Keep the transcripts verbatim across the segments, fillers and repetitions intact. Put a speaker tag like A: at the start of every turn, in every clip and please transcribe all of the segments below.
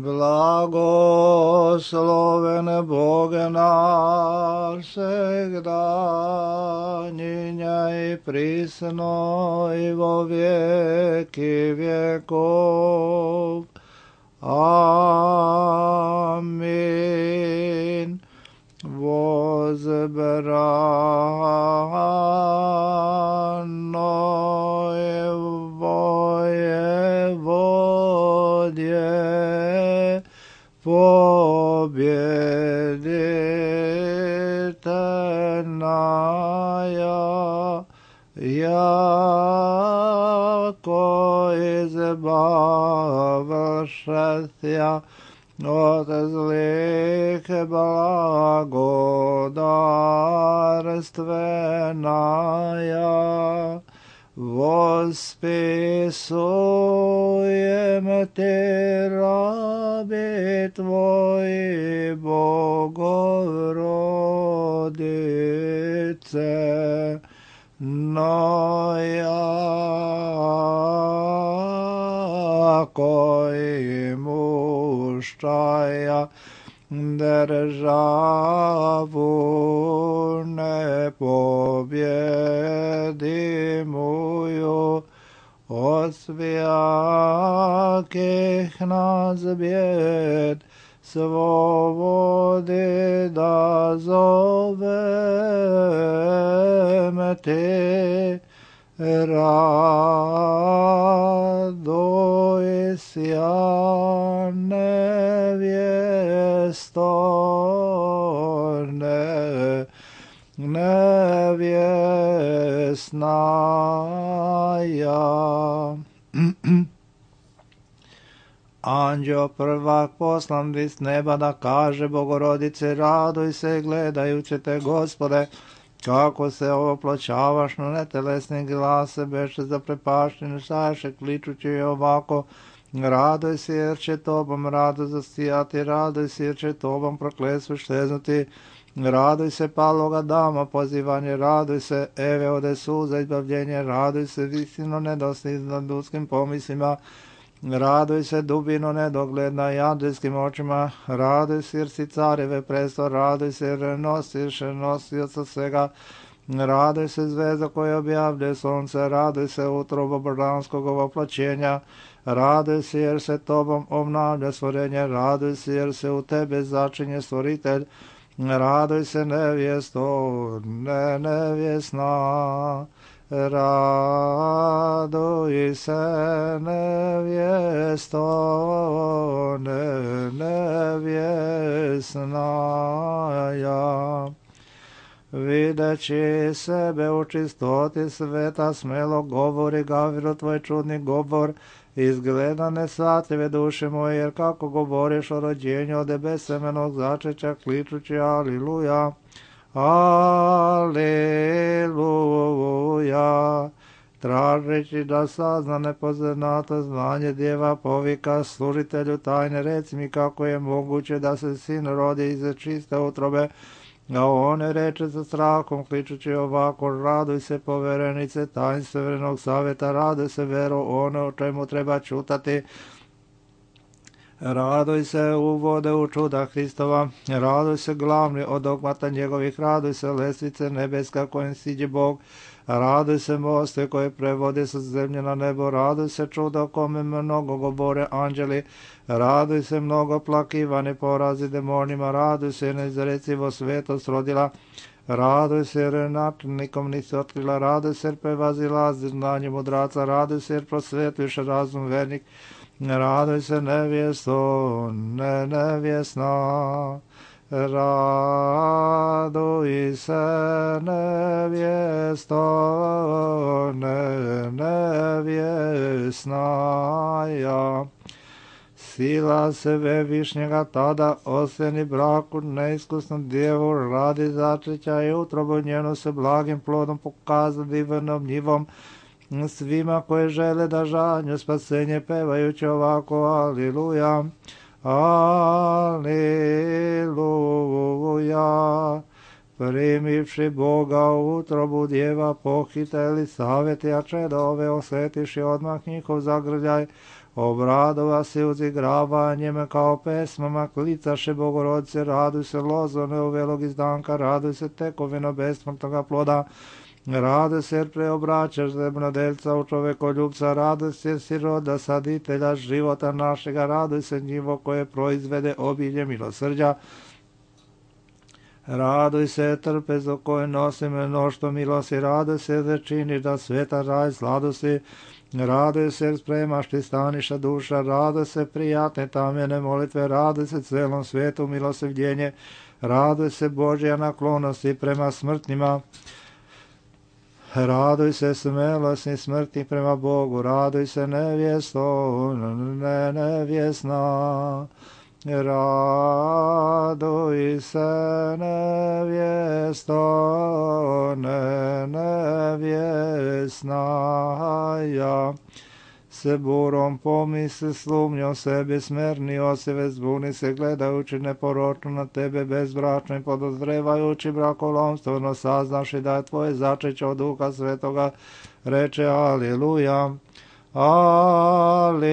A: Blagosloven Bog naš всегда, ныне и присно и во веки веков. Аминь. Возбранное воеводие, победительная, яко избавившая от злых благодарственная, восписуем Те раби Твои, Богородице, но яко имущая державу непобедимую, от всяких нас бед свободы дозовем Ты. Радуйся, невесто, не, невестная. Anđeo prvak poslan iz neba da kaže Bogorodice, raduj se gledajući te, Gospode, kako se opločavaš na netelesni glase, beše zaprepašteni šaše, kličući ovako, raduj se jer će tobom rado zasijati, raduj se jer će tobom prokletstvo šteznuti, raduj se paloga dama pozivanje, raduj se Eve ode suza izbavljenje, raduj se visino nedosljedno ljudskim pomislima, raduj se dubino nedogledna jadrijskim očima, raduj se jer si careve presto, raduj se jer nosiš nosioca svega, raduj se zvezda koja objavlja sunce, raduj se utrobo božanskog oplaćenja, raduj se jer se tobom obnavlja stvorenje, raduj se jer se u tebe začinje stvoritelj, raduj se nevjesto, ne nevjesna, raduj se nevjesto, ne nevjesnaja. Videći sebe u čistoti sveta, smelo govori Gavrilu tvoj čudni govor, izgleda nesvatljive duše moje, jer kako govoriš o rođenju od besemenog začeća, kličući aliluja, aliluja, tražeći da sazna nepoznato znanje djeva povika služitelju tajne, reci mi kako je moguće da se sin rodi iz čiste utrobe, a one reče sa strahom, kličući ovako, raduj se poverenice tajnstvenog savjeta, raduj se vero ono o čemu treba čutati, raduj se uvode u čuda Hristova, raduj se glavni od dogmata njegovih, raduj se lestvice nebeska kojim siđe Bog, raduj se moste koje prevode sa zemlje na nebo, raduj se čudo kome mnogo govore anđeli, raduj se mnogo plakivani porazi demonima, raduj se neizrecivo svetost rodila, raduj se jer načelnikom nisi otkrila, raduj se jer prevazilazi znanje mudraca, raduj se jer prosvetliš razum vernik, raduj se nevjesto, ne nevjesna, raduj se nevjesto, ne nevjesnaja. Sila sebe višnjega tada osjeni braku neiskusnom djevu, radi začeća i utrobu njenu se blagim plodom pokaza divnom njivom, svima koji žele da žanju spasenje pevajući ovako aliluja, aliluja. Primivši Boga u utrobu djeva pohiteli savjeti, a čeda ove osjetiši odmah njihov zagrljaj, Obradova se uzigravanjem kao pesmama, klicaše Bogorodice, raduj se lozo neuvelog izdanka, raduj se tekovino besmrtnoga ploda, raduj se jer preobraćaš zemljodelca u čovekoljubca, raduj se jer si roda saditelja života našega, raduj se njivo koje proizvede obilje milosrđa, raduj se trpezo koje nosi mnoštvo milosti, raduj se da činiš da sveta raj sladosti, raduj se jer spremaš ti staniša duša, raduj se prijatne tamjene molitve, raduj se celom svijetu milosrđenje, raduj se Božja naklonosti prema smrtnima, raduj se smelosni smrti prema Bogu, raduj se nevjesto, ne nevjesna, raduj se nevjesto, ne nevjesna, ja se burom pomisli slumnjo sebi smernio se vezbuni se gledajući neporočno na tebe bezbračno i podozrevajući brakolomstveno saznaši da je tvoje začeće od Duha Svetoga, reče aleluja, aleluja.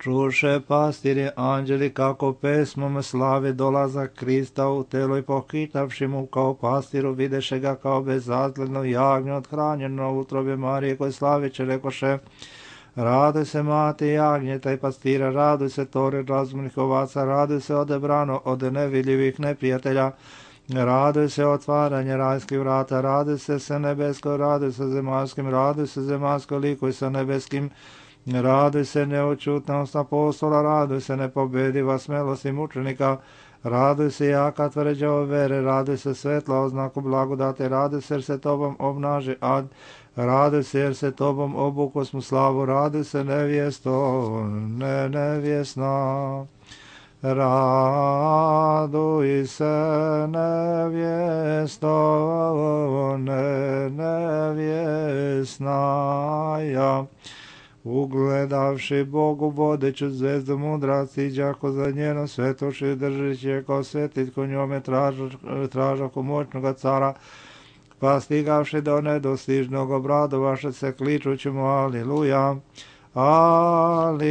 A: Čuše pastiri anđeli kako pesmom slave dolazak Krista u telo i pohitavši mu kao pastiru videše ga kao bezazledno jagnje othranjeno u utrobe Marije koje slaviće rekoše, raduj se mati jagnjeta i pastira, raduj se tore razumnih ovaca, raduj se odebrano od nevidljivih neprijatelja, raduj se otvaranje rajskih vrata, raduj se se nebesko, raduj se zemaljskim, raduj se zemaljsko likuj sa nebeskim, raduj se neočutnost apostola, raduj se nepobediva smelost i mučenika, raduj se jaka tvrđa o vere, raduj se svetla oznaku blagodate, raduj se jer se tobom obnaži ad, raduj se jer se tobom obuko smo slavu, raduj se nevjesto, ne nevjesna, raduj se nevjesto, ne nevjesna, ja. Ugledavši Bogu vodeću zvezdu mudraci, đako za njeno svetoši držeći kao svetitko njome tražaku moćnoga cara, pa stigavši do nedostižnog obradovaše se kličući mu aleluja, aleluja.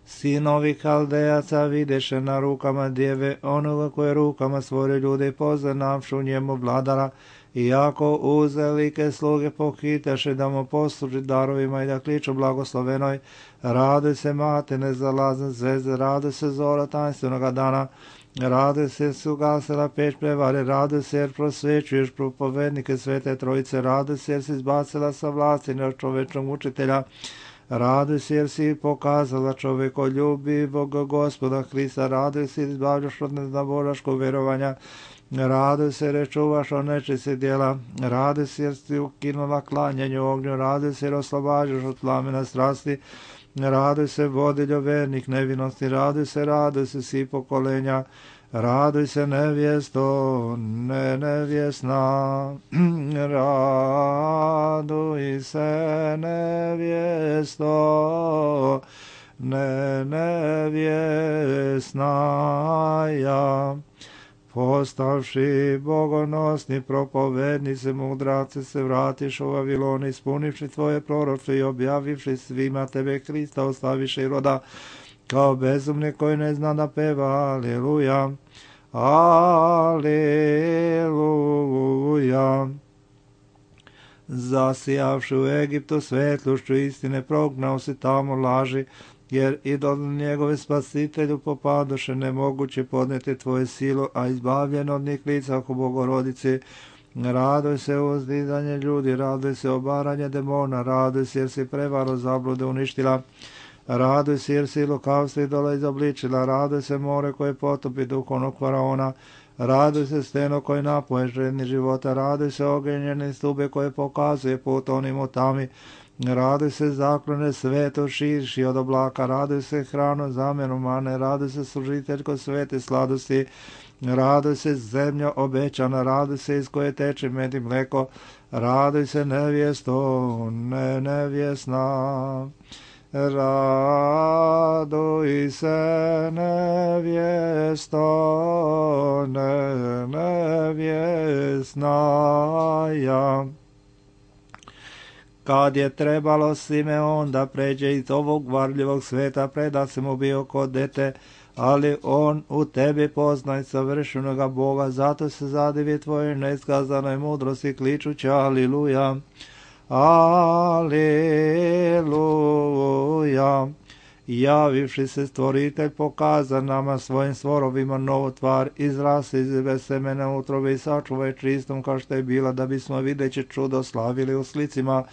A: Sinovi Haldejaca videše na rukama djeve onoga koje rukama stvore ljude i poznavšu njemu vladara, iako uzelike sluge pohiteše da mu posluži darovima i da kliču blagoslovenoj, raduj se mate nezalazne zvezde, raduj se zora tajnstvenog dana, raduj se jer si ugasila peć prevare, raduj se jer prosvećuješ propovednike Svete Trojice, raduj se jer si izbacila sa vlasti čovečnog učitelja, raduj se jer si pokazala čovekoljubivog Gospoda Hrista, raduj se jer izbavljaš od neznaboraškog verovanja, raduj se jer čuvaš od nečiste djela, raduj se jer si ukinula klanjanje u ognju, raduj se jer oslobađaš od plamena strasti, raduj se vodiljo vernih nevinosti, raduj se, raduj se svi pokolenja, raduj se nevjesto, ne nevjesna, raduj se nevjesto, ne nevjesna, ja. Postavši bogonosni propovednice, mudraci se vratiš u Vavilon, ispunivši tvoje proročje i objavivši svima tebe Krista, ostaviši roda kao bezumni koji ne zna da peva, aleluja, aleluja. Zasijavši u Egiptu svetlušću istine, prognao si tamo laži, jer idol njegove spasitelju popadoše, nemoguće podneti tvoje silu, a izbavljen od njih lica oko Bogorodice. Raduj se uzdizanje ljudi, raduj se obaranje demona, raduj se jer si prevaro zablude uništila, raduj se jer si lukavstvo idola izobličila, raduj se more koje potopi duhovnog faraona, raduj se steno koje napoje žedni života, raduj se ogenjene stube koje pokazuje put onim u tami, raduj se zaklone sveto širši od oblaka, raduj se hrano zamjenu mane, raduj se služiteljko svete sladosti, raduj se zemlja obećana, raduj se iz koje teče med i mleko, raduj se nevjesto, ne nevjesna, raduj Raduj se, nevjesto, ne, nevjesnaja. Kad je trebalo Simeon da pređe iz ovog varljivog sveta, preda se mu bio kod dete, ali on u tebi poznaj savršenoga Boga, zato se zadivi tvojoj neskazanoj mudrosti kličući aliluja, aliluja. Javivši se stvoritelj pokaza nama svojim stvorovima novu tvar, izrasi iz semena utrobe i sačuvaj čistom kao što je bila, da bismo videći čudo slavili u slicima.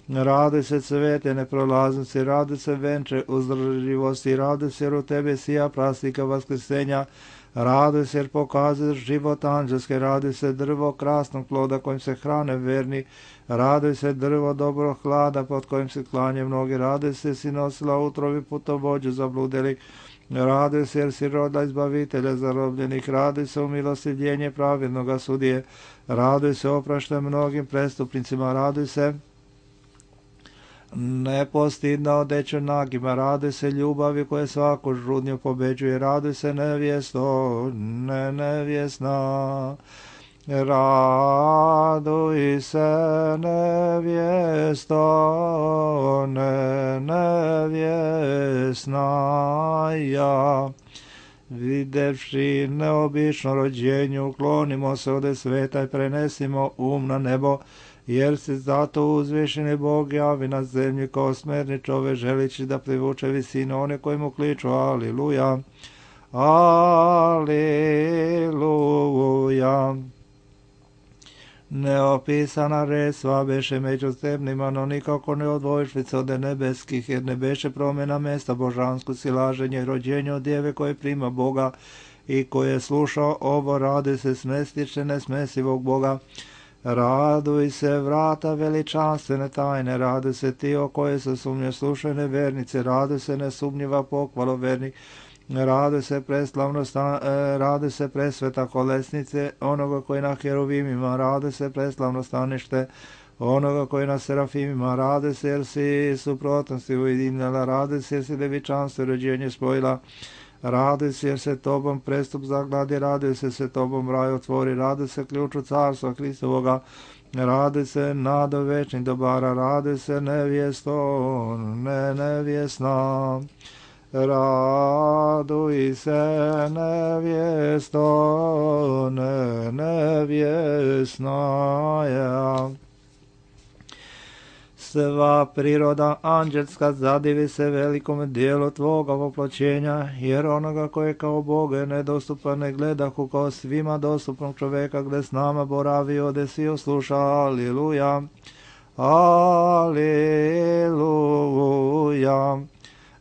A: Raduj se cvete neprolaznosti, raduj se venče uzdrživosti, raduj se jer u tebe sija prastika vaskrsenja, raduj se jer pokazuješ život anđelske, raduj se drvo krasnog ploda kojim se hrane verni, raduj se drvo dobro hlada pod kojim se klanje mnogi, raduj se si nosila utrovi putovođu zabludeli, raduj se jer si rodila izbavitelja zarobljenih, raduj se u milostivljenje pravednoga sudije, raduj se opraštaj mnogim prestupnicima, raduj se nepostidna odeća nagima, raduj se ljubavi koje svaku žudnju pobeđuje, raduj se nevjesto, ne nevjesna, raduj se nevjesto, ne nevjesnaja. Videvši neobično rođenje, uklonimo se ode sveta i prenesimo um na nebo, jer se zato uzvišeni Bog javi na zemlji kao smerni čove, želići da privuče visine one koji mu kliču aliluja, aliluja. Neopisana resva beše među zemljima, no nikako ne odvojšlica od nebeskih, jer ne beše promjena mesta božansko silaženje i rođenje od djeve koje prima Boga i koje sluša ovo, radi se smestiše nesmesivog Boga. Raduj se vrata veličanstvene tajne, raduj se ti o koje se sumnje slušajne vernice, raduj se nesumnjiva pokvalo vernik, raduj se preslavno sta, e, raduj se presveta kolesnice onoga koji na heruvimima, raduj se preslavno stanište onoga koji na serafimima, raduj se jer si suprotnosti ujedinjala, raduj se jer si devičanstvo i rođenje spojila, raduj se jer se tobom prestup zagladi, raduj se se tobom raj otvori, raduj se ključu carstva Hristovoga, raduj se nado večnih dobara, raduj se nevjesto, ne nevjesna, raduj se nevjesto, ne nevjesnaja. Sva priroda anđelska zadivi se velikom dijelu tvoga voploćenja, jer onoga koje kao Boga je nedostupan ne gledahu kao svima dostupnog čoveka, gde s nama boravi ode svi osluša, aliluja, aliluja.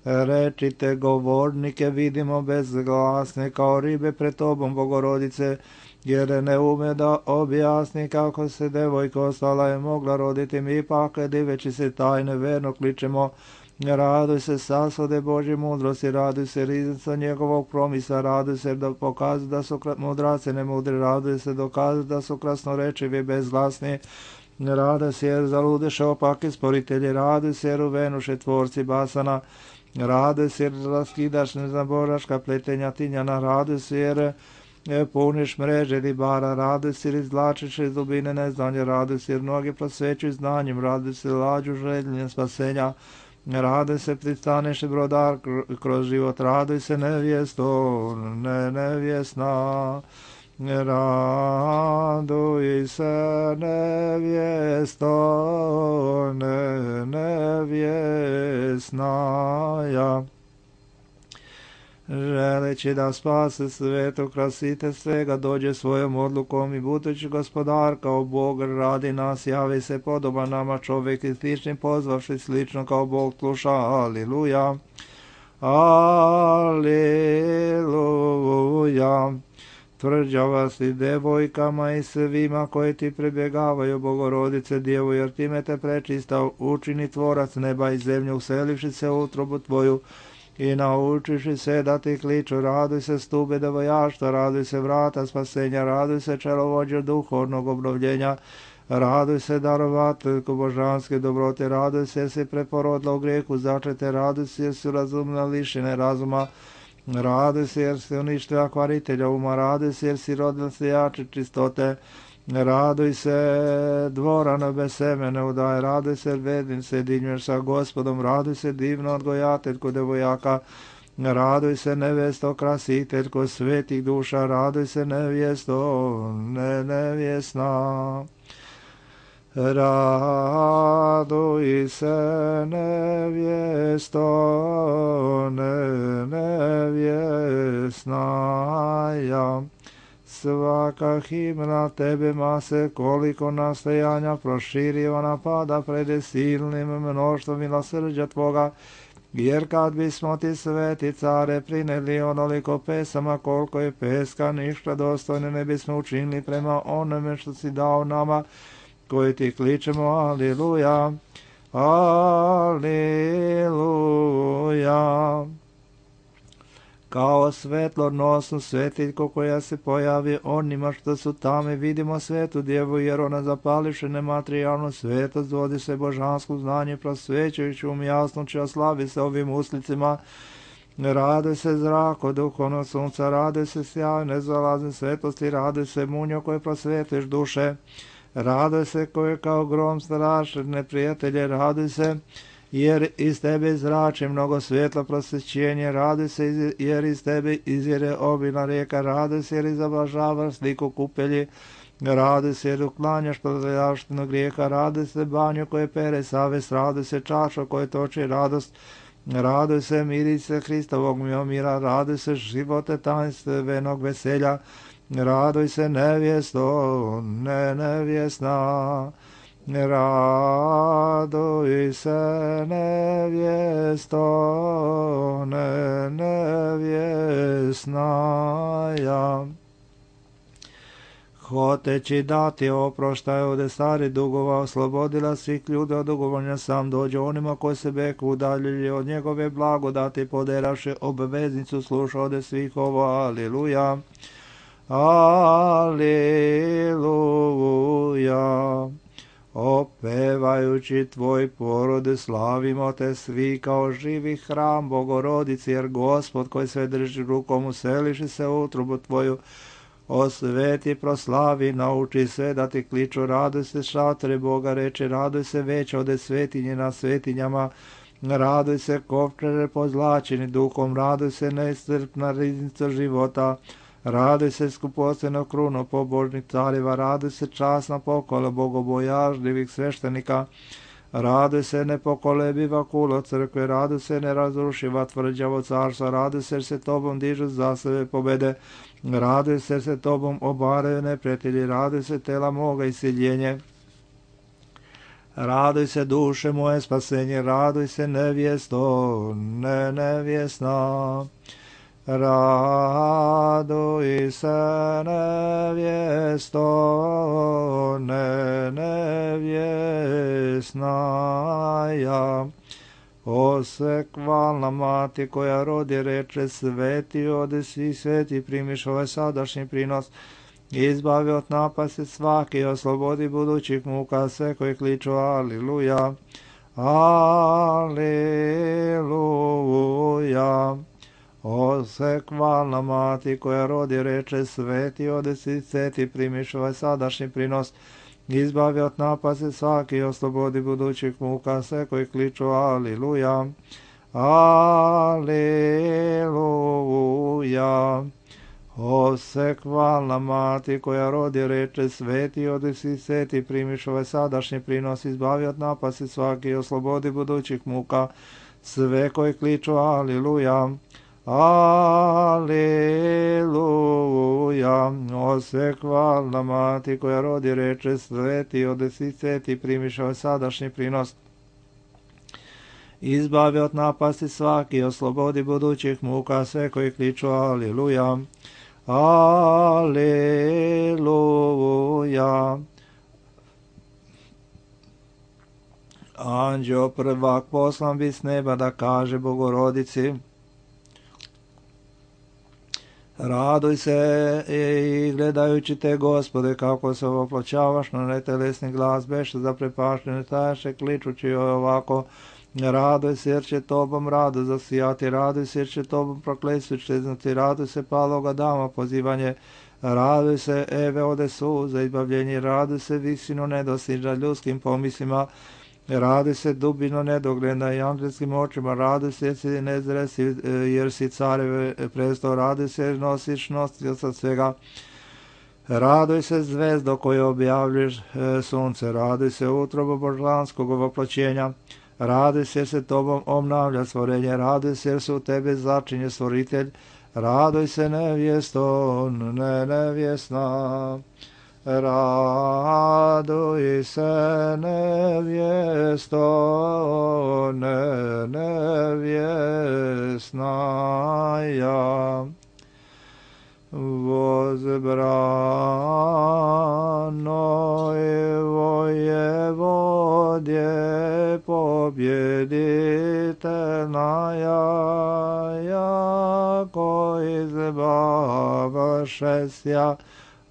A: Rečite govornike vidimo bezglasne kao ribe pred tobom Bogorodice, jer ne ume da objasni kako se devojka ostala je mogla roditi, mi ipak diveći se tajne verno kličemo, raduj se sasvode Božje mudrosti, raduj se riznica njegovog promisa, raduj se da pokazuje da su mudrace ne mudri, raduj se dokazuje da su krasnorečivi bezglasni, raduj se jer zaludeše opaki sporitelji, raduj se jer uvenuše tvorci basana, raduj se jer raskidaš nezaboraška pletenja tinjana, raduj se jer puniš mreže ribara, raduj se jer izvlačiš iz dubine neznanje, raduj se jer mnogi prosvećuju znanjem, raduj se lađu željenjem spasenja, raduj se pristaneš i brodar kroz život, raduj se nevjesto, ne nevjesna, raduj se nevjesto, ne nevjesnaja. Želeći da spase svetu krasite svega, dođe svojom odlukom i budući gospodar kao Bog radi nas, javi se podoba nama čovjek i slični pozvavši slično kao Bog sluša, aliluja, aliluja. Tvrđava si devojkama i svima koji ti prebjegavaju, Bogorodice Djevu, jer time te prečista učini tvorac neba i zemlje, uselivši se u utrobu tvoju i naučiši se da ti kliču, raduj se stube devojaštva, raduj se vrata spasenja, raduj se čelovođe duhovnog obnovljenja, Raduj se, darovateljko božanske dobrote, raduj se jer si preporodila u grijehu začete, raduj se jer si razumna lišene razuma, raduj se jer si uništila kvaritelja uma, raduj se jer si rodila se jače čistote, raduj se dvorano bez semene udaje, raduj se jer vedin se dinjuješ sa Gospodom, raduj se divno odgojateljko devojaka, raduj se nevesto krasiteljko svetih duša, raduj se nevjesto ne nevjesna. Raduj se nevjesto ne nevjesnaja. Svaka himna tebema se koliko nastojanja proširiva napada pred silnim mnoštvom milosrđa tvoga, jer kad bismo ti sveti care prineli onoliko pesama koliko je peska, ništa dostojne ne bismo učinili prema onome što si dao nama, koji ti kličemo, aliluja, aliluja. Kao svetlornosnu svetiljku koja se pojavi onima što su tamo, vidimo svetu djevu, jer ona zapališe nematerijalnu svetost, vodi se božansko znanje, prosvećujući um jasnoći, a slavi se ovim uslicima. Raduj se zrako duhovnog sunca, raduj se sjaj nezalazne svetosti, raduj se munjo koje prosvetiš duše, raduj se koje kao grom straše neprijatelje, raduj se jer iz tebe zrači mnogo svjetla prosvećenje, raduj se jer iz tebe izvire obilna rijeka, raduj se jer izoblažavaš sliku kupelji, raduj se jer uklanjaš prljavštinu grijeha, raduj se banju koje pere savest, raduj se čašo koje toči radost, raduj se miri se Hristovog mira, raduj se živote tajnstvenog veselja, raduj se nevjesto ne nevjesna. Raduj se nevjesto ne nevjesnaja. Hoteći dati oproštaj od stari dugova, oslobodila svih ljudi od dugovanja, sam dođe onima koji se beku udaljili od njegove blagodati, poderavši obveznicu sluša od svih ovo, aliluja, aliluja. Opevajući tvoj porode, slavimo te svi kao živi hram Bogorodici, jer Gospod koji sve drži rukom useliši se u utrubu tvoju, osveti, proslavi, nauči sve da ti kliču, raduj se šatore Boga, reče, raduj se već ode svetinje na svetinjama, raduj se kovčere pozlačeni duhom, raduj se neiscrpna riznica života, raduj se skupoceno kruno pobožnih careva, raduj se časna pokola bogobojažljivih sveštenika, raduj se nepokolebiva kulo crkve, raduj se nerazrušiva tvrđavo carstva, raduj se jer se tobom dižu za sebe pobede, raduj se jer se tobom obaraju neprijatelji, raduj se tela moga isiljenje, raduj se duše moje spasenje, raduj se nevjesto ne nevjesna. Raduj se nevjesto ne nevjesnaja. O sekvalna mati koja rodi reče, sveti ode svi sveti, primiš ovaj sadašnji prinos, izbavi od napasti svaki, oslobodi budućih muka sve koji kliču aliluja, aliluja. O sekvalna mati koja rodi reče, sveti ode svi sveti, primiš ovaj sadašnji prinos, izbavi od napasti svaki, oslobodi budućih muka sve koji kliču aliluja, aliluja. O sekvalna mati koja rodi reče, sveti ode svi sveti, primiš ovaj sadašnji prinos, izbavi od napasti svaki, oslobodi budućih muka sve koji kliču aliluja, aliluja. O sekvalna mati koja rodi reče, sveti ode svi sveti, primiš ovaj sadašnji prinos, izbavi od napasti svaki, oslobodi budućih muka sve koji kliču aliluja, aliluja. Anđeo prvak poslan bi s neba da kaže Bogorodici, Raduj se i gledajući te, Gospode, kako se ovoploćavaš na netelesni glas, beše zaprepaštene taše, kličući ovako. Raduj se jer će tobom rado zasijati, raduj se jer će tobom prokletstvo čeznati, raduj se paloga dama pozivanje, raduj se eve ode suza izbavljenje, raduj se visino nedostižna ljudskim pomislima, raduj se dubino nedogledna i angelskim očima, raduj se jer si nezresi, jer si careve presto, raduj se jer nosiš nosioca svega, raduj se zvezdo koje objavljaš sunce, raduj se utrobo božanskog ovoploćenja, raduj se jer se tobom obnavlja stvorenje, raduj se jer se u tebe začinje stvoritelj, raduj se nevjesto, ne nevjesna, raduj se nevjesto, ne nevjesna ja. Возбранной воеводе победительная, яко избавшеся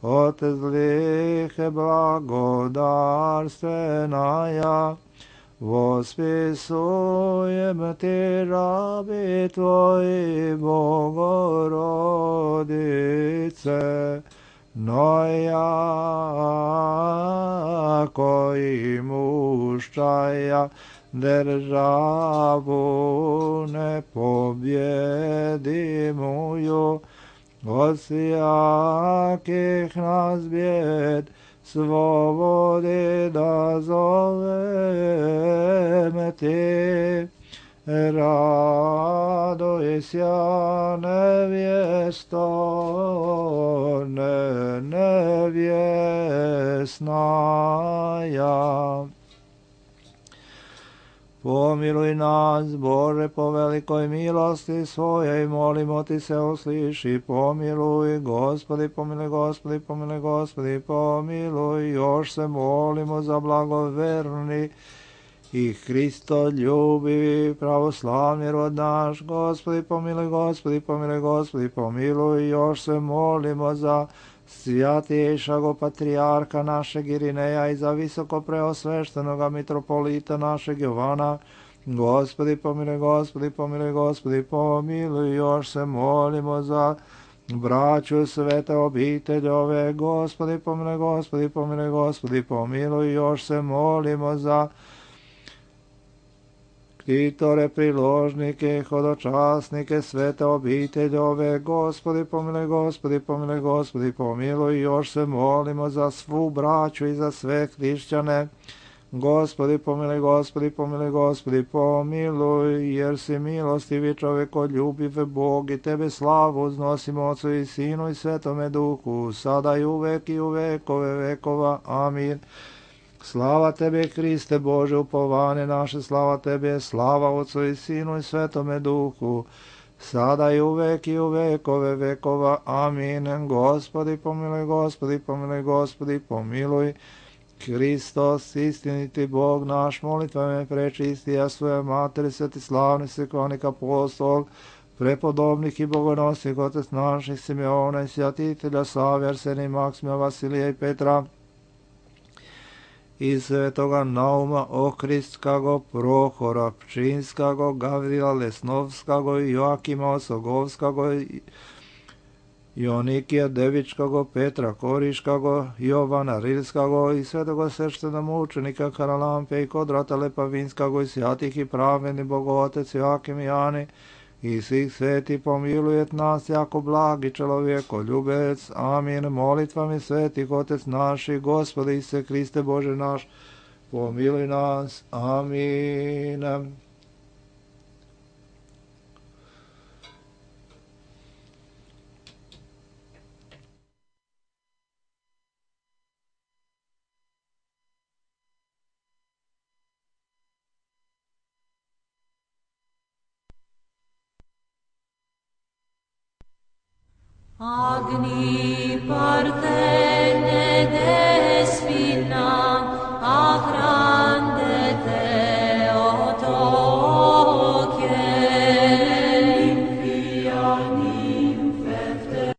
A: от злых благодарственная, восписуем Ти раби Твои, Богородице, но яко имущая державу непобедимую, от всяких нас бед свободы дозовем Ти. Радуйся, невесто, не невестная. Помилуй нас, Боже, по великой милости Своей, молимо Ти се услыши, помилуй, Господи, помилуй, Господи, помилуй, Господи, помилуй, još se molimo za blagoverni i Hristoljubivi pravoslavni rod naš, Gospodi, pomilуj, Gospodi, pomilуj, Gospodi, pomilуj, još se molimo za svjatejšago patrijarha našeg Irineja i za visoko preosveštenoga mitropolita našeg Jovana, Gospodi, pomilуj, Gospodi, pomilуj, Gospodi, pomilуj, još se molimo za braću svete obiteljove, Gospodi, pomilуj, Gospodi, pomilуj, Gospodi, pomilуj, još se molimo za ktitore, priložnike, hodočasnike, svete obiteljove, Gospodi, pomilуj, Gospodi, pomilуj, Gospodi, pomilуj, još se molimo za svu braću i za sve hrišćane, Gospodi, pomilуj, Gospodi, pomilуj, Gospodi, pomilуj, jer si milostivi čovekoljubiv Bog i Tebe slavu uznosimo Otcu i Sinu i Svetome Duhu, sada i uvek i u vekove vekova. Amin. Slava Tebe, Hriste Bože, upovane naše, slava Tebe, slava Otcu i Sinu i Svetome Duhu, sada i uvek i u vekove vekova. Amin. Gospodi, pomilуj, Gospodi, pomilуj, Gospodi, pomilуj. Hristos, istiniti Bog naš, molitvame prečisti, a svoje materi, sveti slavni svekonik apostol, prepodobnih i bogonosnih otec naših Simeona i svjatitelja Save, Arsenija, Maksimija, Vasilija i Petra, i svetoga Nauma, Okristskago, Prohora, Pčinskago, Gavrila Lesnovskago, Joakima Osogovskago, Jonikija Devičkago, Petra Koriškago, Jovana Rilskago i svetoga sveštena mučenika Karalampe i Kodrata Lepavinskago i svjatih i praveni Bogotec Joakim i Jani i svih sveti pomilujet nas jako blagi čelovjeko ljubec. Amin. Molitvami svetih Otec naši, Gospodi Ise Hriste Bože naš, pomiluj nas. Amin.
B: Agni partene despina, agrande te otoche, limpia ninfefte.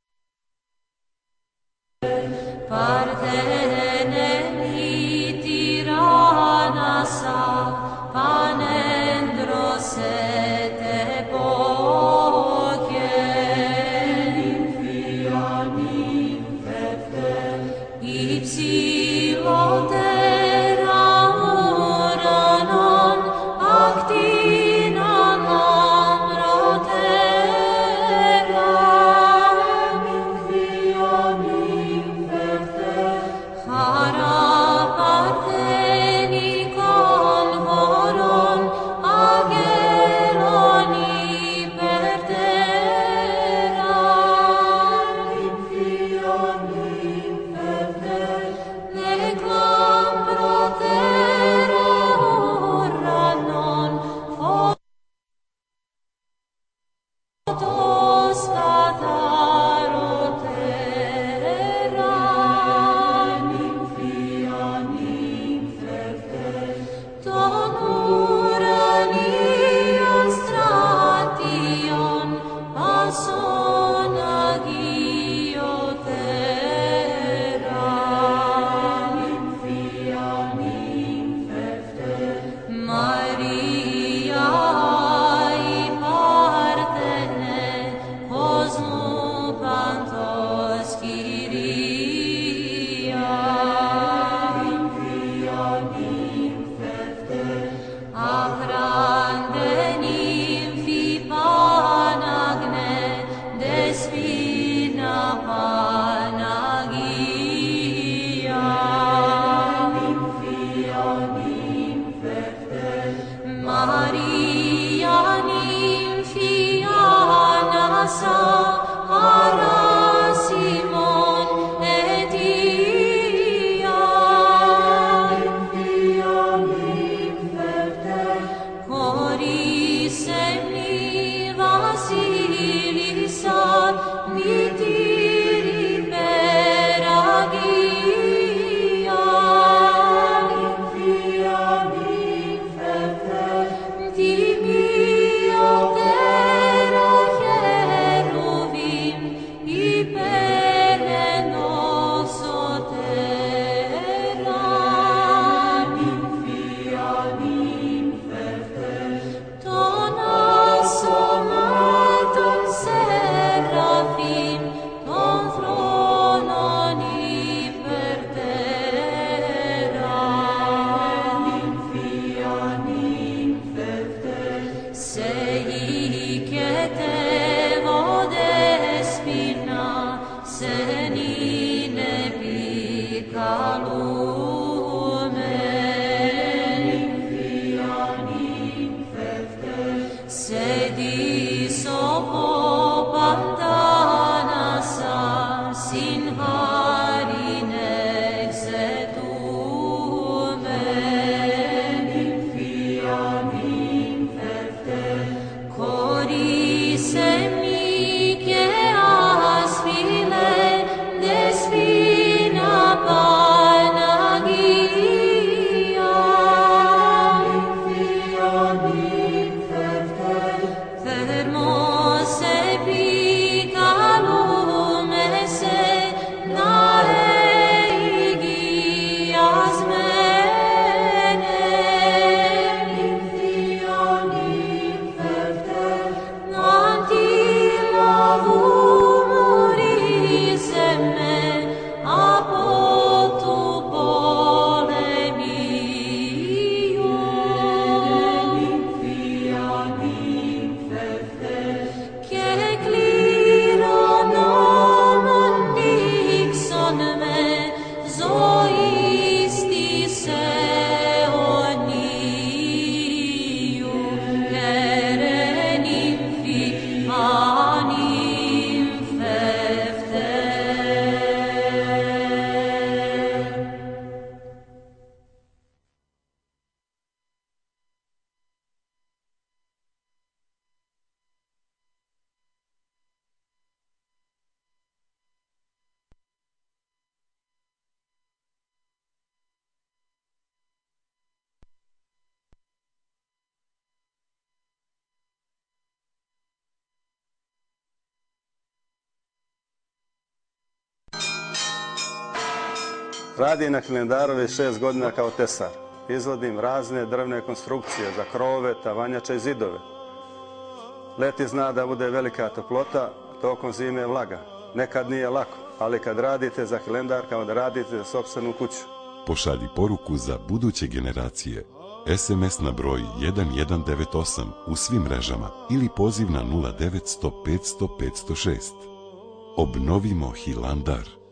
C: Radim na kalendaru već šest godina kao tesar. Izvodim razne drvne konstrukcije za krovove, tavanjače i zidove. Leti zna da bude velika toplota, tokom zime je vlaga. Nekad nije lako, ali kad radite za kalendar kao da radite za sopstvenu kuću.
D: Pošalji poruku za buduće generacije. es em es na broj jedan jedan devet osam u svim mrežama ili poziv na nula devet sto petsto petsto šest. Obnovimo Hilandar.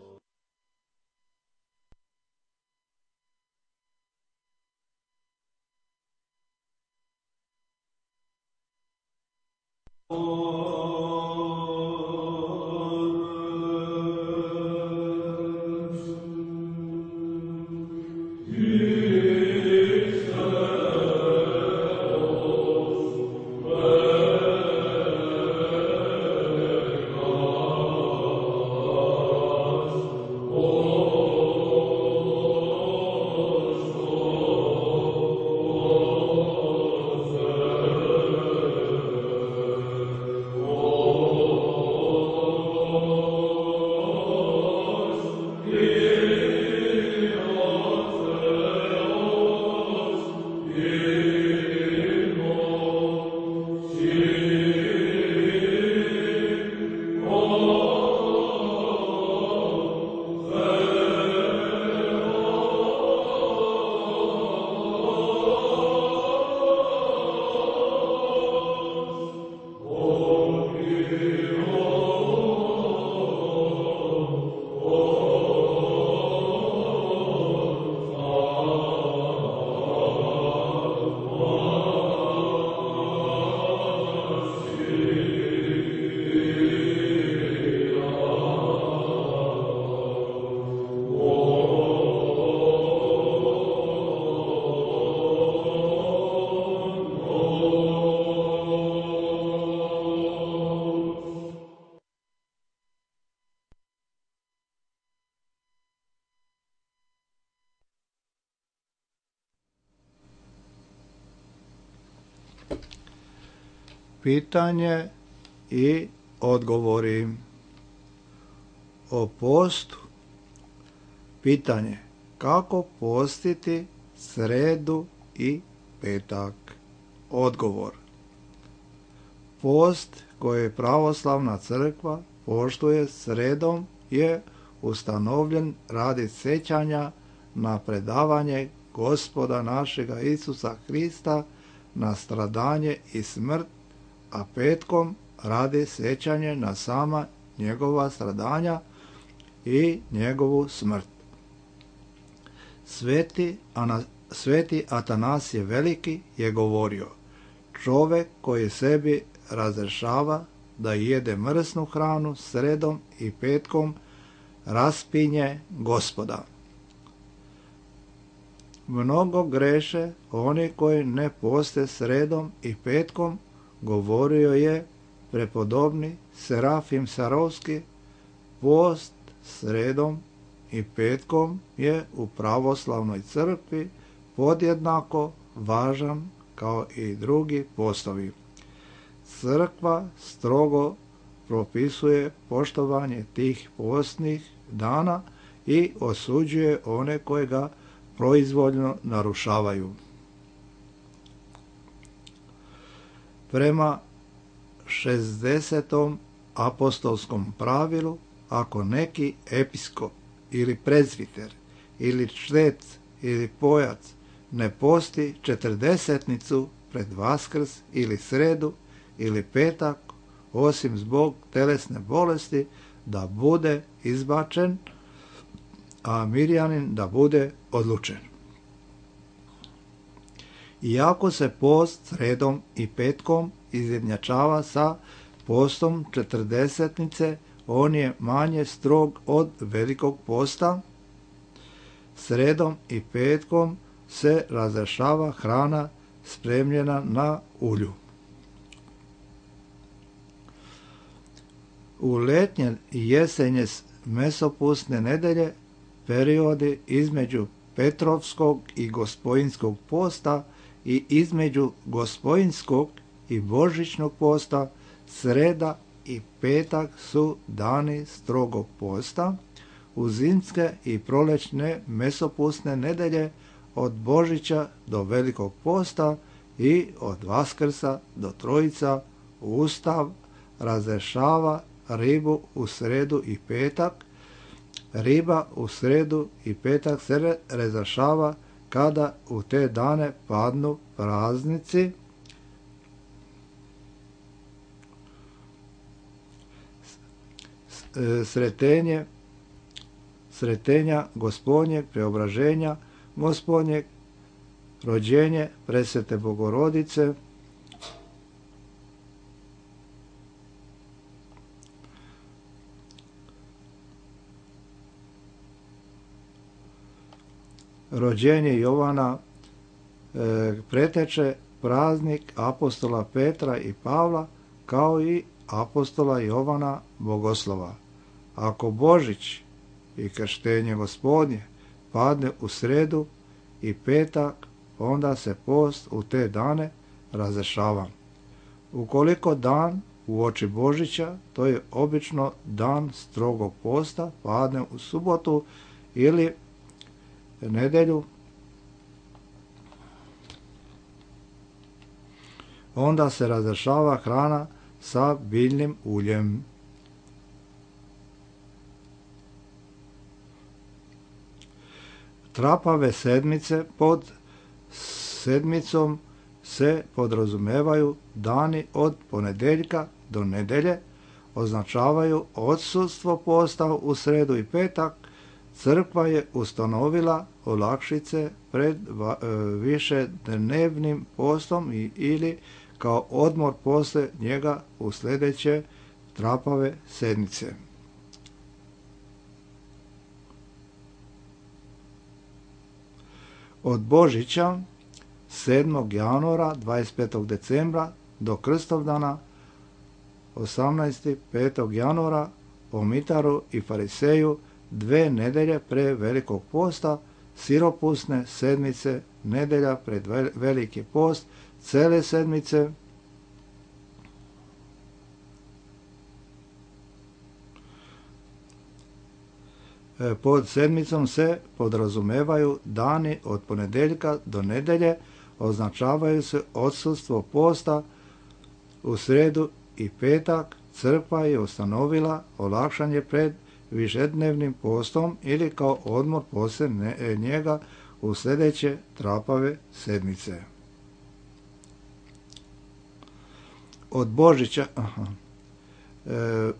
A: Pitanje i odgovori o postu. Pitanje: kako postiti sredu i petak? Odgovor: post koji pravoslavna crkva poštuje sredom je ustanovljen radi sjećanja na predavanje Gospoda našega Isusa Hrista na stradanje i smrt, a petkom radi sjećanje na sama njegova stradanja i njegovu smrt. Sveti, Ana, sveti Atanasije Veliki je govorio: čovjek koji sebi razrešava da jede mrsnu hranu sredom i petkom raspinje Gospoda. Mnogo greše oni koji ne poste sredom i petkom, govorio je prepodobni Serafim Sarovski. Post sredom i petkom je u pravoslavnoj crkvi podjednako važan kao i drugi postovi. Crkva strogo propisuje poštovanje tih postnih dana i osuđuje one koje ga proizvoljno narušavaju. Prema šezdesetom apostolskom pravilu, ako neki episkop ili prezviter ili čtec ili pojac ne posti četrdesetnicu pred Vaskrs ili sredu ili petak, osim zbog telesne bolesti, da bude izbačen, a mirjanin da bude odlučen. Iako se post sredom i petkom izjednačava sa postom četrdesetnice, on je manje strog od velikog posta. Sredom i petkom se razrešava hrana spremljena na ulju. U letnje i jesenje mesopustne nedelje, periodi između Petrovskog i Gospojinskog posta i između Gospojinskog i Božićnog posta, sreda i petak su dani strogog posta. U zimske i prolećne mesopustne nedelje od Božića do Velikog posta i od Vaskrsa do Trojica Ustav razrešava ribu u sredu i petak. Riba u sredu i petak se razrešava kada u te dane padnu praznici. Sretenje, sretenja Gospodnjeg, preobraženja Gospodnjeg, rođenje Presvete Bogorodice, rođenje Jovana, e, preteče praznik apostola Petra i Pavla, kao i apostola Jovana Bogoslova. Ako Božić i krštenje Gospodnje padne u sredu i petak, onda se post u te dane razrešava. Ukoliko dan uoči Božića, to je obično dan strogog posta, padne u subotu ili nedjelju, onda se razrešava hrana sa biljnim uljem. Trapave sedmice, pod sedmicom se podrazumevaju dani od ponedjeljka do nedjelje, označavaju odsustvo posta u sredu i petak. Crkva je ustanovila olakšice pred višednevnim postom i, ili kao odmor posle njega u sljedeće trapave sedmice. Od Božića sedmog januara, dvadeset petog decembra do Krstovdana osamnaestog petog januara po Mitaru i Fariseju dve nedelje pre Velikog posta, siropusne sedmice, nedelja pred Veliki post, cele sedmice, Pod sedmicom se podrazumevaju dani od ponedjeljka do nedjelje, označavaju se odsustvo posta u sredu i petak. Crkva je ustanovila olakšanje pred višednevnim postom ili kao odmor poslije njega u sljedeće trapave sedmice. Od Božića, aha, e,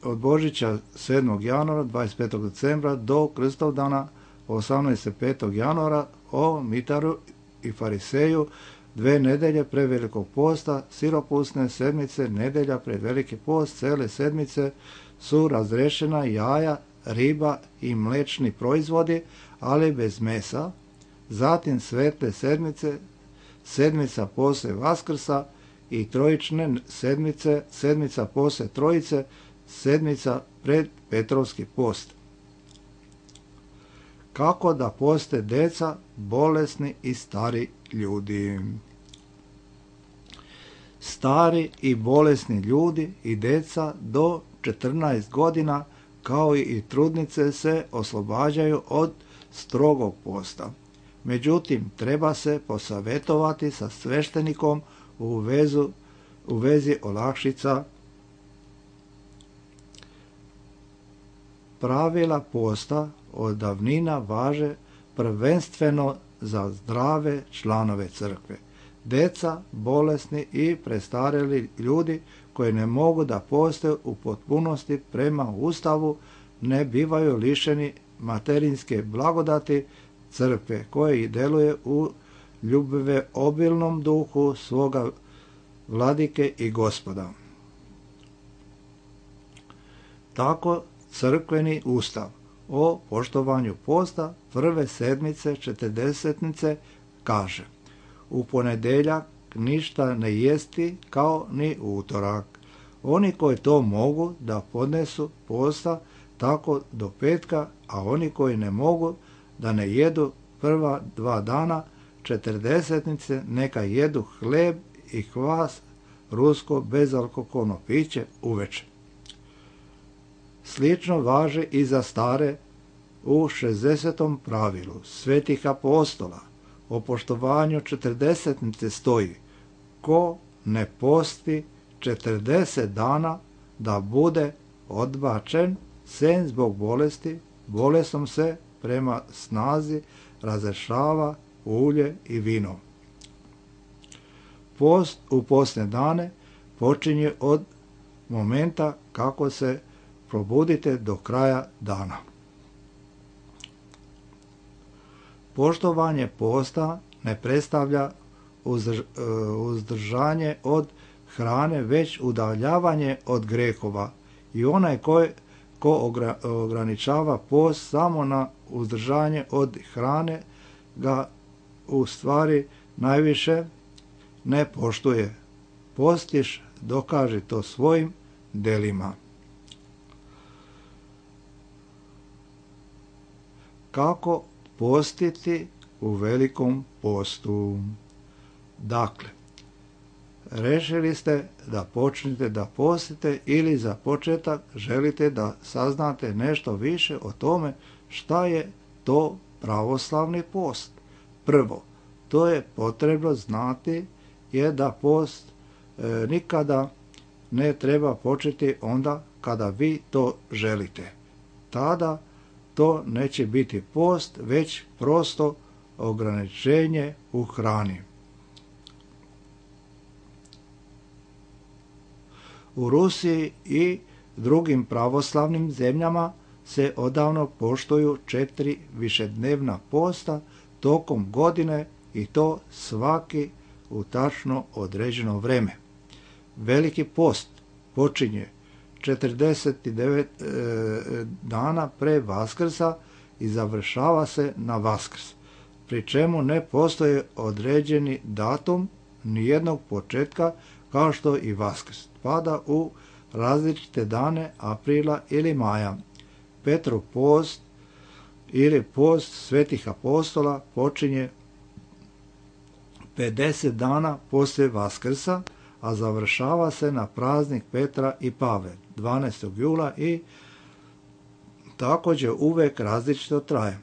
A: od Božića sedmog januara, dvadeset petog decembra do Krstovdana osamnaestog petog januara o Mitaru i Fariseju, dve nedelje pre velikog posta, siropusne sedmice, nedelja pred veliki post, cele sedmice su razrešena jaja, riba i mlečni proizvodi, ali bez mesa. Zatim svetle sedmice, sedmica posle Vaskrsa i trojične sedmice, sedmica posle Trojice, sedmica pred Petrovski post. Kako da poste deca, bolesni i stari ljudi. Stari i bolesni ljudi i deca do četrnaest godina, kao i trudnice, se oslobađaju od strogog posta. Međutim, treba se posavjetovati sa sveštenikom u, vezu, u vezi olakšica. Pravila posta od davnina važe prvenstveno za zdrave članove crkve. Deca, bolesni i prestareli ljudi koji ne mogu da poste u potpunosti prema Ustavu ne bivaju lišeni materinske blagodati crkve koje deluje u ljubive obilnom duhu svoga vladike i gospoda. Tako crkveni ustav o poštovanju posta prve sedmice četrdesetnice kaže: u ponedjeljak ništa ne jesti kao ni utorak. Oni koji to mogu da podnesu posta tako do petka, a oni koji ne mogu da ne jedu prva dva dana četrdesetnice neka jedu hleb i kvas, rusko bezalkoholno piće uveče. Slično važi i za stare u šezdesetom pravilu svetih apostola. O poštovanju četrdesetnice stoji: ko ne posti četrdeset dana da bude odbačen, sem zbog bolesti, bolestom se prema snazi razrešava ulje i vino. Post u postne dane počinje od momenta kako se probudite do kraja dana. Poštovanje posta ne predstavlja uzdržanje od hrane, već udaljavanje od grehova, i onaj ko, ko ograničava post samo na uzdržanje od hrane ga u stvari najviše ne poštuje. Postiš, dokaži to svojim delima. Kako postiti u velikom postu? Dakle, rešili ste da počnete da postite ili za početak želite da saznate nešto više o tome šta je to pravoslavni post. Prvo, to je potrebno znati je da post e, nikada ne treba početi onda kada vi to želite. Tada to neće biti post, već prosto ograničenje u hrani. U Rusiji i drugim pravoslavnim zemljama se odavno poštuju četiri višednevna posta tokom godine, i to svaki u tačno određeno vreme. Veliki post počinje četrdeset devet e, dana pre Vaskrsa i završava se na Vaskrs, pri čemu ne postoji određeni datum nijednog početka, kao što i Vaskrs pada u različite dane aprila ili maja. Petrov post ili post svetih apostola počinje pedeset dana poslije Vaskrsa, a završava se na praznik Petra i Pavle dvanaestog jula i također uvek različito traje.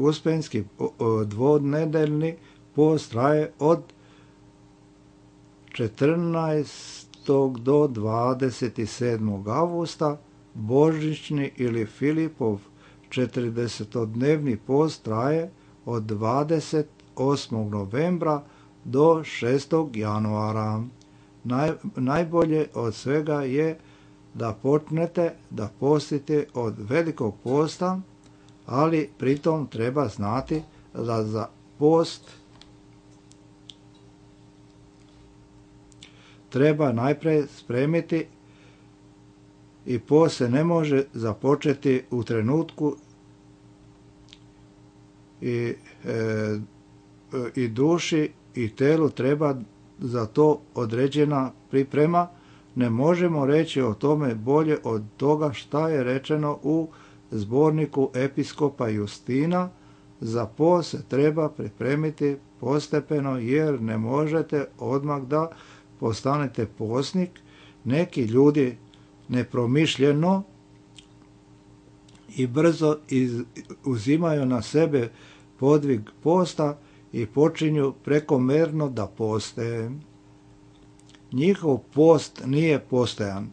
A: Uspenski dvonedeljni post traje od četrnaestog do dvadeset sedmog avgusta, božićni ili Filipov četrdesetodnevni post traje od dvadeset osmog novembra do šestog januara. Naj, najbolje od svega je da počnete da postite od velikog posta, ali pritom treba znati da za post treba najprije spremiti i post se ne može započeti u trenutku i, e, i duši i telu treba za to određena priprema. Ne možemo reći o tome bolje od toga šta je rečeno u zborniku episkopa Justina. Za post se treba pripremiti postepeno, jer ne možete odmah da postanete postnik. Neki ljudi nepromišljeno i brzo iz, uzimaju na sebe podvig posta i počinju prekomerno da poste. Njihov post nije postojan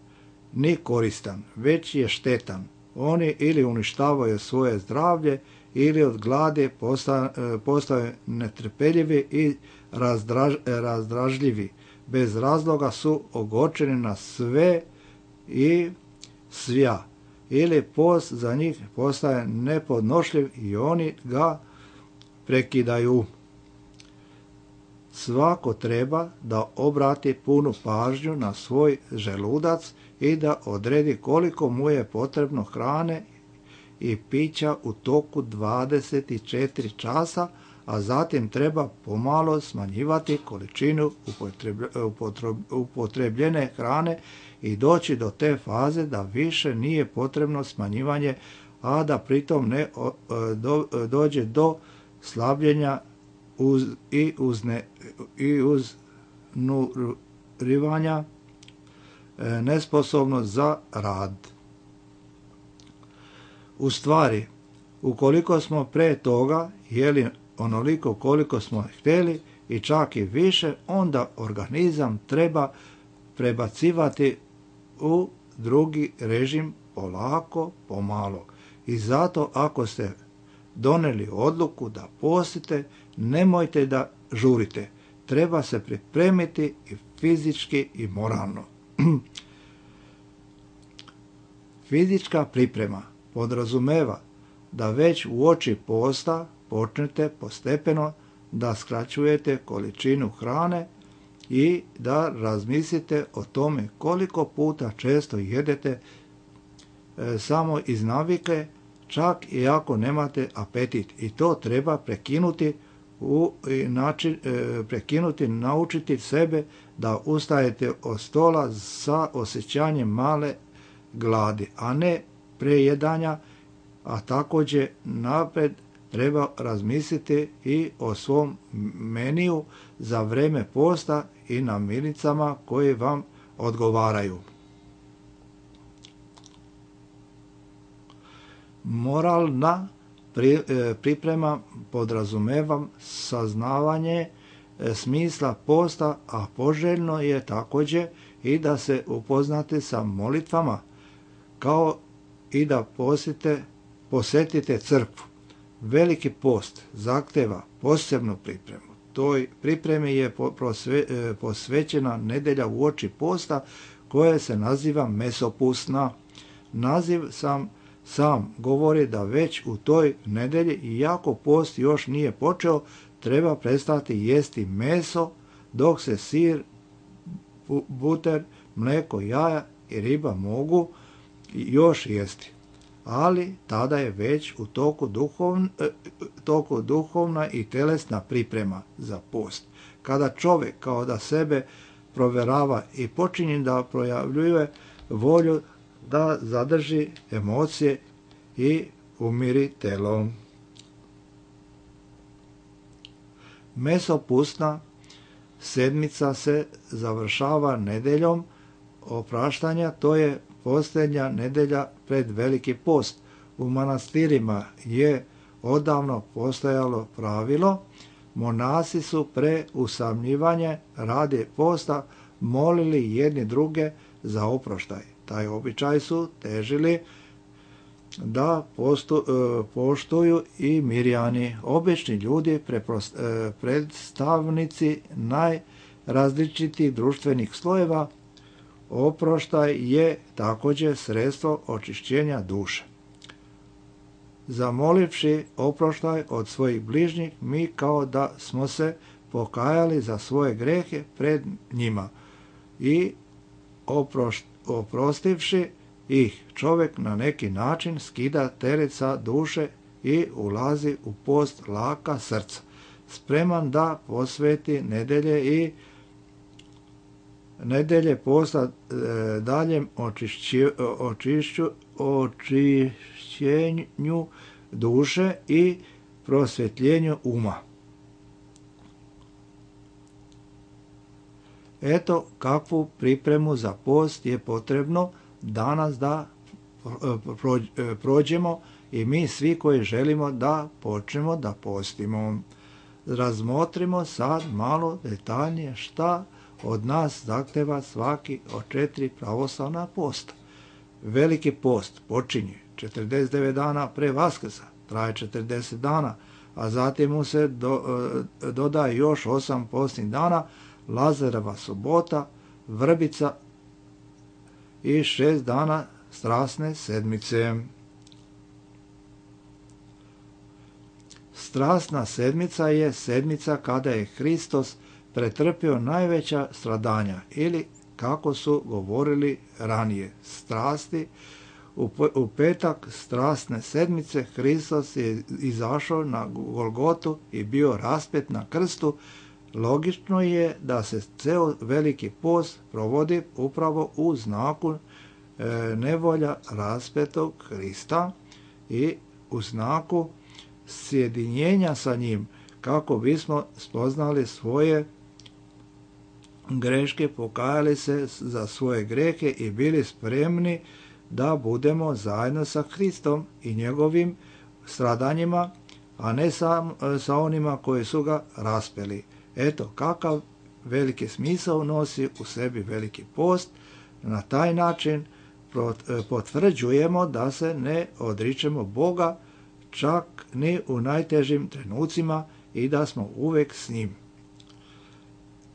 A: ni koristan, već je štetan. Oni ili uništavaju svoje zdravlje, ili od gladi postaju netrpeljivi i razdraž, razdražljivi. Bez razloga su ogorčeni na sve i svja. Ili post za njih postaje nepodnošljiv i oni ga prekidaju. Svako treba da obrati punu pažnju na svoj želudac i da odredi koliko mu je potrebno hrane i pića u toku dvadeset četiri časa, a zatim treba pomalo smanjivati količinu upotrebljene hrane i doći do te faze da više nije potrebno smanjivanje, a da pritom ne do, dođe do slabljenja uz, i, uzne, i uznurivanja, nesposobnost za rad. U stvari, ukoliko smo pre toga jeli onoliko koliko smo htjeli i čak i više, onda organizam treba prebacivati u drugi režim polako, pomalo. I zato ako ste doneli odluku da postite, nemojte da žurite. Treba se pripremiti i fizički i moralno. Fizička priprema podrazumeva da već uoči posta počnete postepeno da skraćujete količinu hrane i da razmislite o tome koliko puta često jedete e, samo iz navike, čak i ako nemate apetit. I to treba prekinuti, u, i način, e, prekinuti, naučiti sebe da ustajete od stola sa osjećanjem male gladi, a ne prejedanja, a također napred treba razmisliti i o svom meniju za vreme posta i namirnicama koje vam odgovaraju. Moralna pri, e, priprema podrazumeva saznavanje e, smisla posta, a poželjno je također i da se upoznate sa molitvama, kao i da posjete, posjetite crkvu. Veliki post zahteva posebnu pripremu. Toj pripremi je posvećena nedelja uoči posta, koja se naziva mesopusna. Naziv sam sam govori da već u toj nedelji, iako post još nije počeo, treba prestati jesti meso, dok se sir, buter, mlijeko, jaja i riba mogu još jesti. Ali tada je već u toku, duhovn, toku duhovna i telesna priprema za post. Kada čovjek kao da sebe proverava i počinje da projavljuje volju da zadrži emocije i umiri telo. Mesopustna sedmica se završava nedeljom opraštanja, to je posljednja nedelja pred Veliki post. U manastirima je odavno postojalo pravilo, monasi su pre usamljivanja radi posta molili jedni druge za oproštaj. Taj običaj su težili da postu, poštuju i Mirjani, obični ljudi, preprost, predstavnici najrazličitih društvenih slojeva. Oproštaj je također sredstvo očišćenja duše. Zamolivši oproštaj od svojih bližnjih, mi kao da smo se pokajali za svoje grehe pred njima i oprošt, oprostivši ih, čovjek na neki način skida teret sa duše i ulazi u post laka srca, spreman da posveti nedelje i nedelje posta e, daljem očišću, očišću, očišćenju duše i prosvjetljenju uma. Eto kakvu pripremu za post je potrebno danas da prođemo i mi svi koji želimo da počnemo da postimo. Razmotrimo sad malo detaljnije šta od nas zahteva svaki od četiri pravoslavna posta. Veliki post počinje četrdeset devet dana pre Vaskrsa, traje četrdeset dana, a zatim mu se do, dodaje još osam postnih dana, Lazareva subota, vrbica i šest dana strasne sedmice. Strasna sedmica je sedmica kada je Hristos pretrpio najveća stradanja ili, kako su govorili ranije, strasti. U petak strasne sedmice Hristos je izašao na Golgotu i bio raspet na krstu. Logično je da se ceo Veliki post provodi upravo u znaku e, nevolja raspetog Hrista i u znaku sjedinjenja sa njim, kako bismo spoznali svoje greške, pokajali se za svoje grehe i bili spremni da budemo zajedno sa Hristom i njegovim stradanjima, a ne sa, sa onima koji su ga raspeli. Eto kakav veliki smisao nosi u sebi Veliki post. Na taj način potvrđujemo da se ne odričemo Boga čak ni u najtežim trenucima i da smo uvek s njim.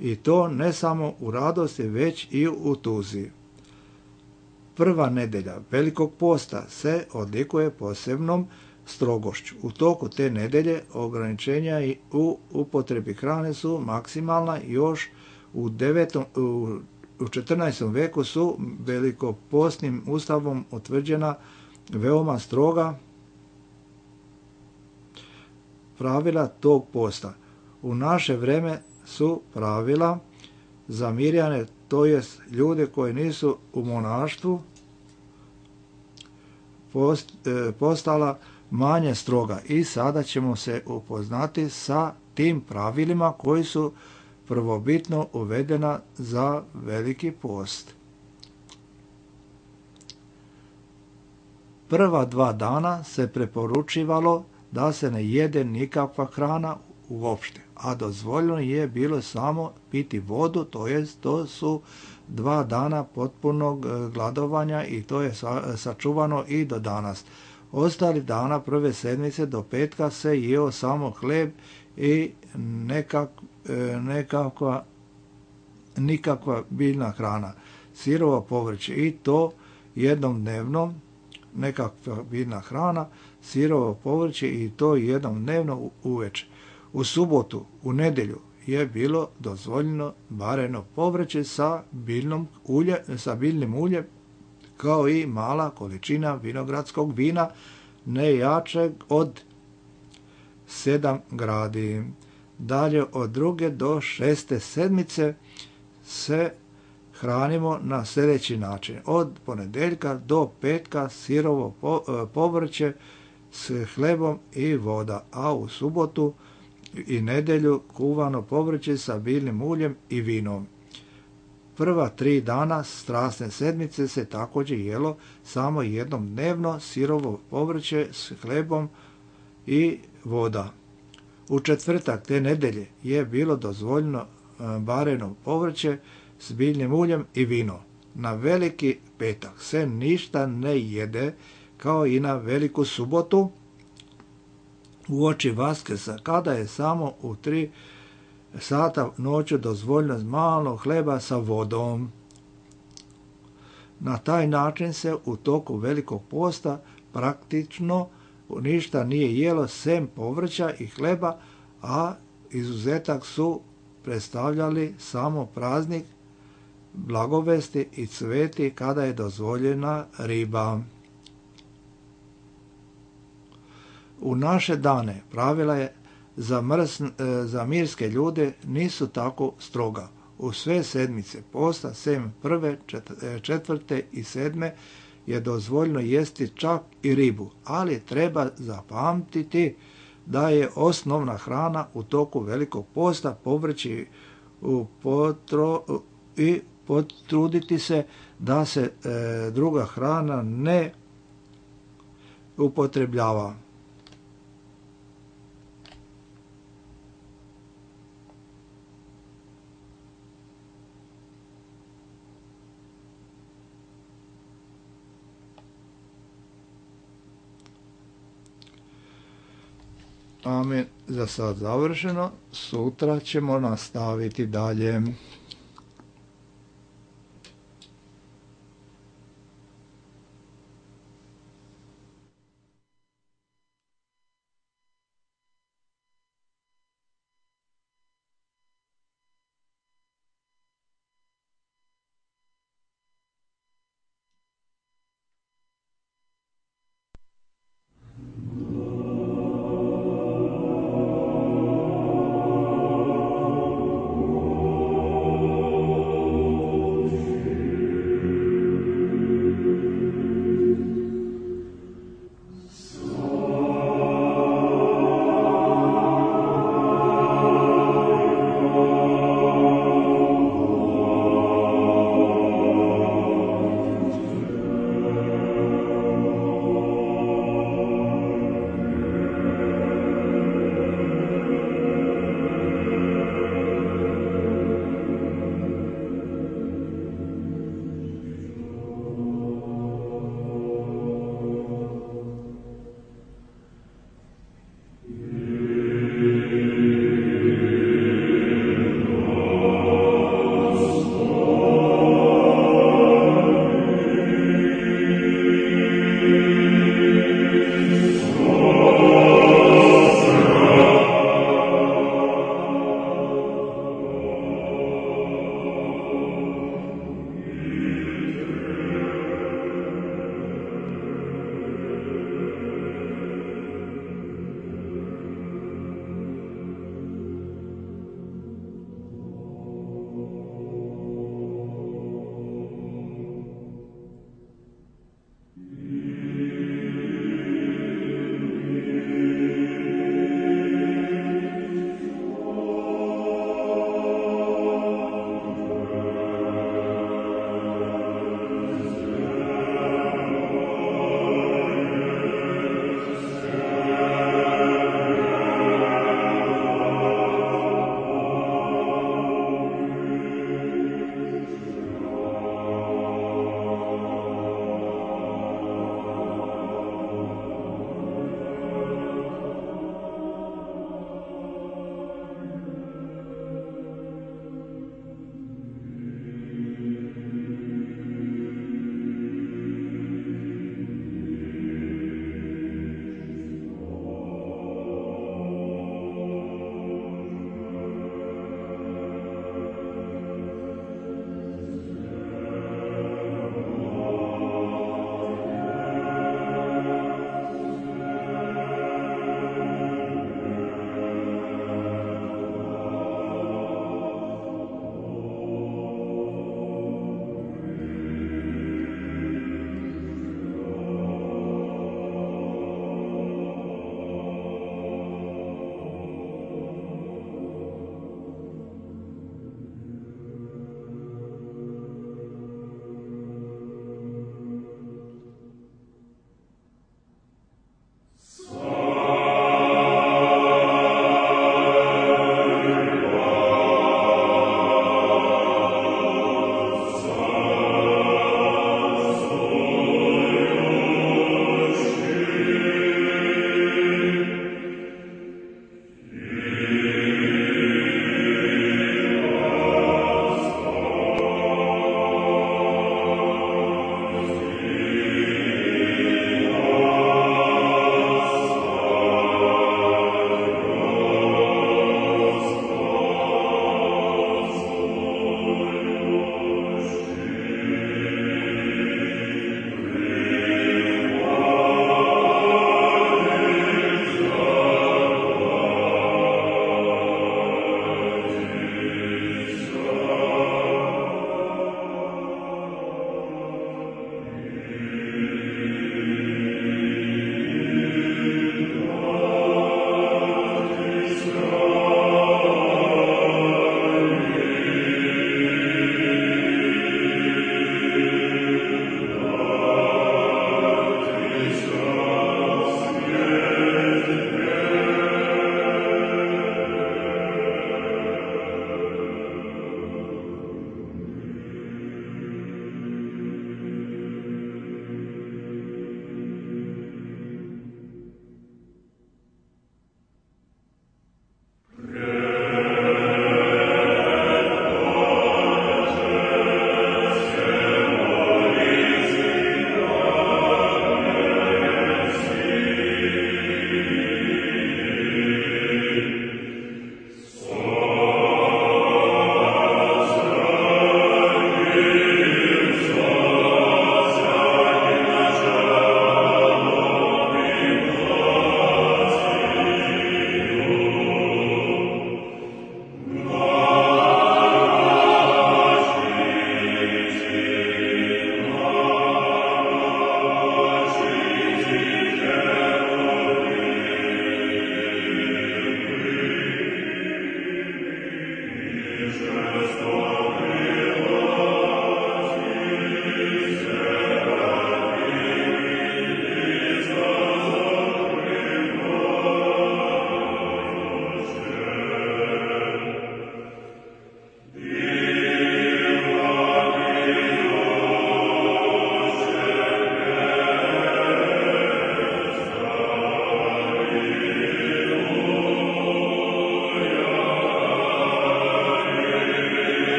A: I to ne samo u radosti, već i u tuzi. Prva nedelja Velikog posta se odlikuje posebnom strogošću. U toku te nedelje ograničenja i u upotrebi hrane su maksimalna. Još u, devetom, u, u četrnaestom veku su velikopostnim ustavom utvrđena veoma stroga pravila tog posta. U naše vreme su pravila za Mirjane, to jest ljude koji nisu u monaštvu, post, e, postala manje stroga i sada ćemo se upoznati sa tim pravilima koji su prvobitno uvedena za Veliki post. Prva dva dana se preporučivalo da se ne jede nikakva hrana uopšte, a dozvoljeno je bilo samo piti vodu, to jest to su dva dana potpunog gladovanja i to je sačuvano i do danas. Ostali dana prve sedmice do petka se jeo samo hleb i nekak, nekakva, nikakva biljna hrana, sirovo povrće i to jednom dnevno, nekakva biljna hrana, sirovo povrće i to jednom dnevno uveče. U subotu, u nedjelju je bilo dozvoljeno vareno povrće sa biljnom ulje, sa biljnim uljem, kao i mala količina vinogradskog vina, ne jačeg od sedam gradi. Dalje od druge do šeste sedmice se hranimo na sljedeći način. Od ponedjeljka do petka sirovo povrće s hlebom i voda, a u subotu i nedjelju kuvano povrće sa biljnim uljem i vinom. Prva tri dana strasne sedmice se također jelo samo jednom dnevno sirovo povrće s hlebom i voda. U četvrtak te nedjelje je bilo dozvoljeno bareno povrće s biljnim uljem i vino. Na veliki petak se ništa ne jede kao i na veliku subotu uoči Vaskrsa, kada je samo u tri sata noću dozvoljeno malo hleba sa vodom. Na taj način se u toku velikog posta praktično ništa nije jelo sem povrća i hleba, a izuzetak su predstavljali samo praznik Blagovesti i Cveti kada je dozvoljena riba. U naše dane pravila je za, mrs, za mirske ljude nisu tako stroga. U sve sedmice posta, sem prve, četvrte i sedme, je dozvoljeno jesti čak i ribu, ali treba zapamtiti da je osnovna hrana u toku velikog posta povrće u potro, i potruditi se da se e, druga hrana ne upotrebljava. Amen. Za sad završeno. Sutra ćemo nastaviti dalje.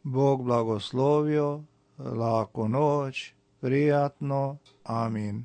A: Bog blagoslovio, laku noć, prijatno, amin.